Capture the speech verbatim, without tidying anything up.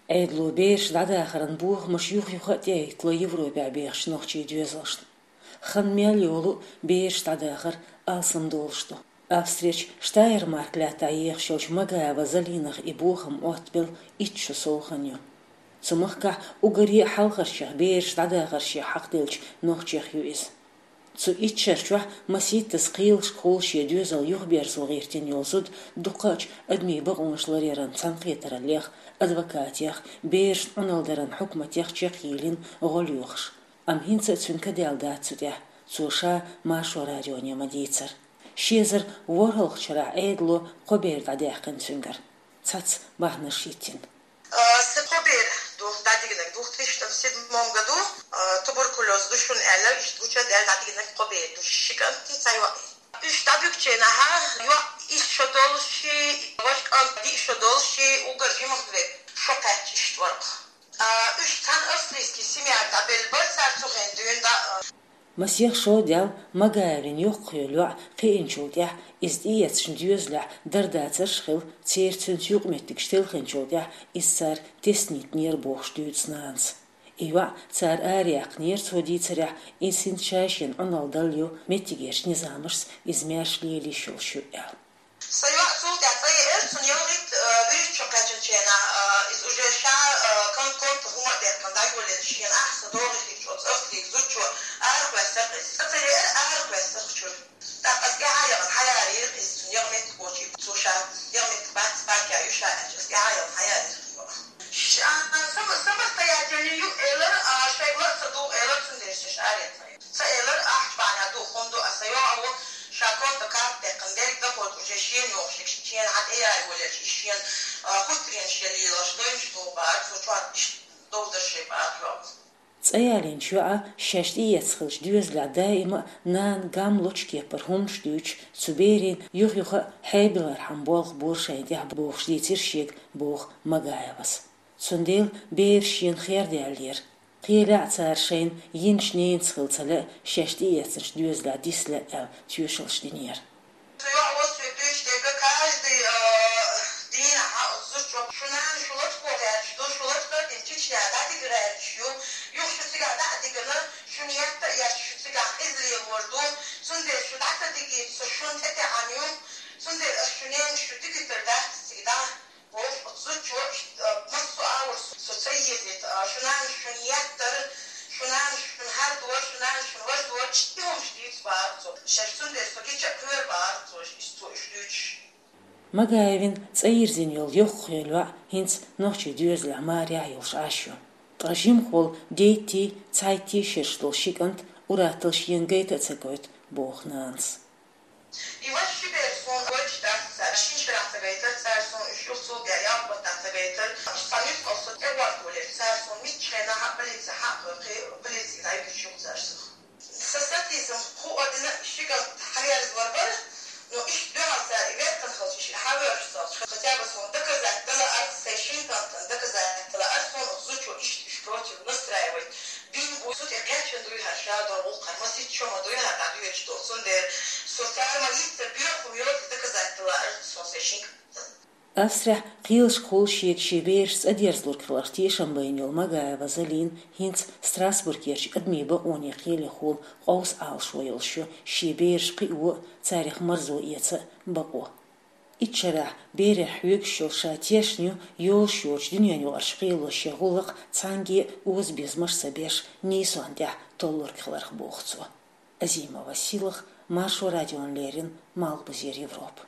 Ӏедало бераш дӀадахаран бохамаш юха-юха а тӀеэттало Европехь бехачу нохчийн доьзалшна. Хан мел йолу бераш дӀадахар алсам долуш ду. Австрерчу Штайнмарк лаьттахь ехаш йолчу Магаева Залинах и бохам оттабелла итт шо сов хан ю. Цу махкахь уггаре а хьалхарчех бераш дӀадахаршех хьакхделлачу нохчех ю иза. Цу итт шарчохь масийттаза кхелашкахула шен доьзал юхаберзо гӀиртина йолу зуда дукхачу адамийн бакъонаш ларъяран цхьаьнакхетараллех, адвокатех, берашна Ӏуналла даран хьукматех чекхйийлина гӀо лоьхуш. Амма хӀинца а цуьнан ка даьлла дац цу тӀехь, цо ша Маршо радионе ма-дийццара. Ши эзар ворхӀалгӀачу шарахь Ӏедало кхо бер дӀадаьккхина цуьнгара. Цхьацца бахьанаш хӀиттина. Сан кхо бер ду дӀадигнарг, две тысячи седьмом году, туберкулёз ду шуна аьлла, иштта гуча а даьлла дӀадигнарг кхо бер ду, ши кӀант, цхьа йоӀ. Уьш дӀадуьгучу хенахь йоӀ исс шо долуш, важа кӀант диъ шо долуш, уггар жимах ве шо кхаьчча иштта вара. Уьш цхьана австрийский семья дӀабелла бара, цара цу хенахь дуьйна дӀа. Масех шо даьлла Магаевн йоккхахйолу йоӀ кхиъначул тӀаьхьа иза тӀеэцначу доьзалехь дарда царш хилла, церан цуьнца юкъаметтигаш телхинчул тӀаьхьа иза цара теснитинера бохуш дуьйцу нанас. И йоӀ цара араяьккхинера, цо дийцарехь, иза хӀинца ша шена Ӏуналла далла ю, меттигерчу низамашца иза маьрша лелийш йолуш ю аьлла. Сан йоӀ цул тӀаьхьа цӀа еара, цунна ялхитта, э, вуьрхӀитта шо кхаьчначу хенахь, э, иза уже ша, э, ком-, комта хӀума а деттина дӀайолаелча, шена ахьа со догӀий хиъча, оцу австрийски зудчо арахоьссира иза. ЦӀа ца еара, арахоьссира чуьра. ТӀаккха аса тӀаьхьа яхана хьаярийра иза, цунна яха меттиг кхочий, цо ша яха меттиг бац, баккъа ю ша аьлча, аса тӀаьхьа яхана хьаярийра. Ша, сама-, самостоятельный ю элира, а, шайга ла а ца дугӀу элира, цундела ша араяьккхина. Ца элира, ахча бахьана ду, хӀунда ду, аса йоӀ а ву, ша комта карта дехкан дерг дахойту уже шена йохуш, шена хьан тӀе яй волчу, и шена, а, хӀуттаренаш я лелаш, дойнаш догӀу бара, цо чохь иштта довдарш бара йоӀ. ЦӀа ялийначу йоӀа шаьш тӀеэцна хиллачу доьзалехь даима а нана гам лочу кепара хӀуманаш дуьйцуш, цу берийн юха-юха а хьебилархьама болх бора шайна тӀехь бохуш дийцира шега, боху Магаевас. Цундела бераш шена хердаьллера. Кхелехь а цара шайна йинчу ненаца хила ца лаьа, шаьш тӀеэцначу доьзалехь диса лаьа аьлла тоьшаллаш динера. Со йоӀ ву, со дуьйцу дерг, каждый, э, дийнахь оцу зудчо: «Шун нана шун лачкъо гӀерташ ду, шун лачкъа а дина Чечня дӀадига гӀерташ ю, юха шу цигахь дӀа а дигана, шуна етта а еш, шу цигахь къиза лелор ду, цундела шу дӀа ца дигийта, со шуна тӀетаьӀна ю, цундела аса шун ненан шу дигийтар дац цига дӀа». Оцу зудчо, э, массо а агӀор со ца езийта, э, шун нана шуна еттара, шун нана шуна хӀара дора, шун нана шуна важа дора, иштта хӀуманаш дийца бара цо. Шаьш цундела со гича а кхоьру бара цо, иштта цо уьш дуьйцуш. Магаевн цӀа йирзина йолу йоккхахйолу йоӀ хӀинца нохчийн доьзалехь марехь йолуш Ӏаш ю. Ткъа жимахволу дейттий, цхьайттий шераш долу ши кӀант ур-атталла шена гайта а ца гойту, боху нанас. И вайша ши бер суна гойтуш дац цара, шина шарахь ца гайтара цара суна, уьш юха цул тӀаьхьа ялх баттахь ца гайтара, цхьа нуьцкъала со тӀе гӀорта волура цара суна, миччахьа а полици хьакхойкхий, полицига дӀайигча юха цара суна. Сан сатийсам хӀуъа дина ши кӀант хьаверза вар бара, но иштта дуьхьал цара и веттан хилча, иштта хьавоьрзуш ца хилча, хотя бы суна доказать дала арц, сайн шина кӀантана доказать дала арц, суна оцу зудчо иштта уьш против настраивать бина бу, цу тӀе кхеччина дуй хӀара ша долу гӀуллакх, хӀара масийтта шо ма дуй хӀара дӀадоьдуш долу, цундела со цара ма-йиттара боьха хӀума йоцу доказать дала арц суна сайн шина кӀантана. Австрехь кхелашкахула шега шен бераш цӀа дерзалург хиларх тешам байна йолу Магаева Залина хӀинца Страсбургерчу адамийн бакъонийн кхелехула къовса Ӏалашо йолуш ю шен бераш кхио а, царах марзо эца а бакъо. Итт шарахь берех хьоьгуш йолу ша тешна ю йолуш йоцучу дуьненан юкъарчу кхело шен гӀуллакх цхьаьнгге а озабезамаш ца беш нийсонна тӀехь толлург хиларх, боху цо. Азимова Силах, Маршо радиона леррина, Малхбузера Европа.